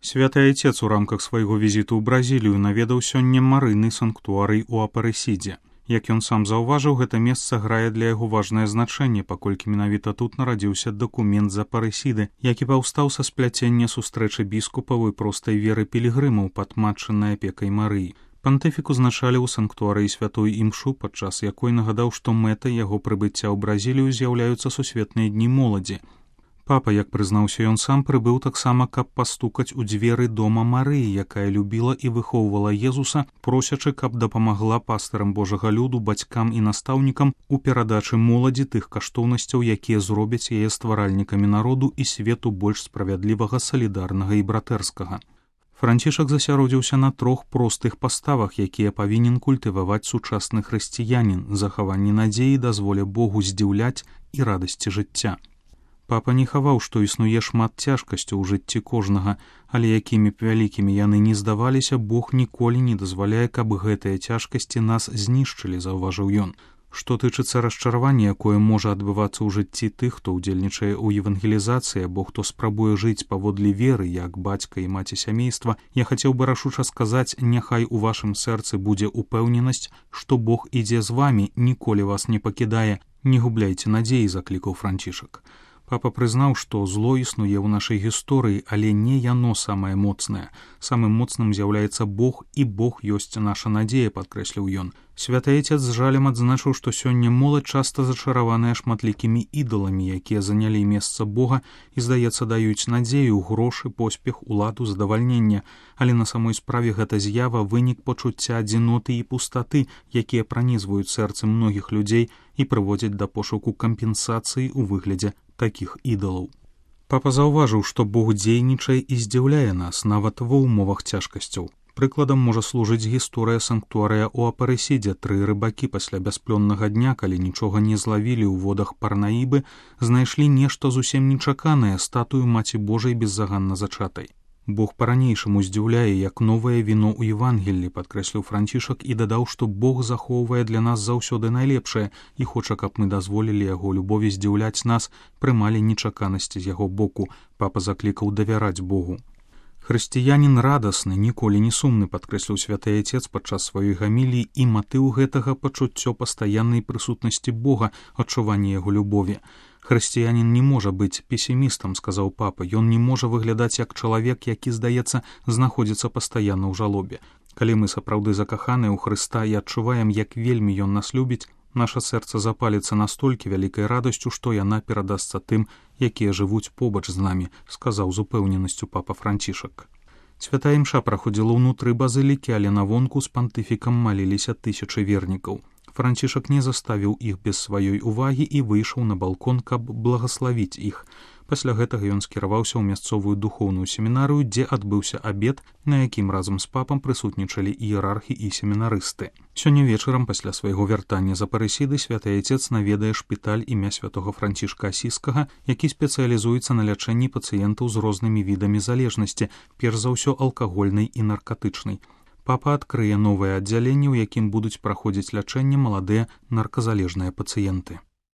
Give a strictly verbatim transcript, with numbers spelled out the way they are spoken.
Святы Айцец у рамках свайго візіту ў Бразілію наведаў сёння марыны санктуарый у Апарэсідзе. Як ён сам заўважыў, гэта месца грае для яго важнае значэнне, паколькі менавіта тут нарадзіўся дакумент з Апарэсіды, які паўстаў са спляцення сустрэчы біскупаў і простай веры пілігрымаў пад матчынай апекай Марыі. Пантыфік узначаліў у санктуарыі святой імшу, падчас якой нагадаў, што мэтай яго прыбыцця ў Бразілію з'яўляюцца сусветныя дні моладзі. Папа, як прызнаўся ён сам, прыбыў таксама, каб пастукаць у дзверы дома Марыі, якая любіла і выхоўвала Езуса, просячы, каб дапамагла пастырам Божага люду, бацькам і настаўнікам у перадачы моладзі тых каштоўнасцяў, якія зробяць яе стваральнікамі народу і свету больш справядлівага, салідарнага і братэрскага. Францішак засяродзіўся на трох простых паставах, якія павінен культываваць сучасны хрысціянін: захаванне надзеі, дазволе Богу здзіўляць і радасці жыцця. Папа не хаваў, што існуе шмат цяжкасцяў у жыцці кожнага, але якімі б вялікімі яны не здаваліся, Бог ніколі не дазваляе, каб гэтыя цяжкасці нас знішчылі, заўважыў ён. Што тычыцца расчаравання, якое можа адбывацца ў жыцці тых, хто ўдзельнічае ў евангелізацыі або хто спрабуе жыць паводле веры, як бацька і маці сямейства, я хацеў бы рашуча сказаць, няхай у вашым сэрцы будзе упэўненасць, што Бог ідзе з вамі, ніколі вас не пакідае, не губляйце надзеі, заклікаў Францішак. Папа прызнаў, што зло існуе ў нашай гісторыі, але не яно самае моцнае. Самым моцным з'яўляецца Бог, і Бог ёсць наша надзея, падкрэсліў ён. Святы Айцец з жалем адзначыў, што сёння моладзь часта зачараваная шматлікімі ідаламі, якія занялі месца Бога і, здаецца, даюць надзею, грошы, поспех, уладу, задавальнення, але на самой справе гэта з'ява вынік пачуцця адзіноты і пустаты, якія пранізваюць сэрцы многіх людзей і прыводзяць да пошуку кампенсацыі ў выглядзе такіх ідалаў. Папа заўважыў, што Бог дзейнічае і здзіўляе нас нават ва ўмовах цяжкасцяў. Прыкладам можа служыць гісторыя санктуарыя ў Апарэсідзе. Тры рыбакі пасля бясплённага дня, калі нічога не злавілі ў водах Парнаібы, знайшлі нешта зусім нечаканае, статую Маці Божай беззаганна зачатай. Бог па-ранейшаму здзіўляе, як новае віно ў Евангеллі, падкрэсліў Францішак і дадаў, што Бог захоўвае для нас заўсёды найлепшае і хоча, каб мы дазволілі яго любові здзіўляць нас, прымалі нечаканасці з яго боку. Папа заклікаў давяраць Богу. Хрысціянін радасны, ніколі не сумны, падкрэсліў святы Айцец падчас сваёй гаміліі, і матыў гэтага пачуццё пастаяннай прысутнасці Бога, адчуванне яго любові. Хрысціянін не можа быць песімістам, сказаў папа, ён не можа выглядаць як чалавек, які, здаецца, знаходзіцца пастаянна ў жалобе. Калі мы сапраўды закаханыя ў Хрыста і адчуваем, як вельмі ён нас любіць, наша сэрца запаліцца настолькі вялікай радасцю, што яна перадасца тым, якія жывуць побач з намі, сказаў з упэўненасцю папа Францішак. Святая імша праходзіла ўнутры базылікі, але навонку з пантыфікам маліліся тысячы вернікаў. Францішак не заставіў іх без сваёй увагі і выйшаў на балкон, каб благаславіць іх. Пасля гэтага ён скіраваўся ў мясцовую духоўную семінарыю, дзе адбыўся абед, на якім разам з папам прысутнічалі іерархі і семінарысты. Сёння вечарам пасля свайго вяртання з Апарэсіды святы Айцец наведае шпіталь імя святога Францішка Асіскага, які спецыялізуецца на лячэнні пацыентаў з рознымі відамі залежнасці, перш за ўсё алкагольнай і наркатычнай. Папа адкрые новае аддзяленне, у якім будуць праходзіць лячэнне маладыя нарказалежныя пацыенты.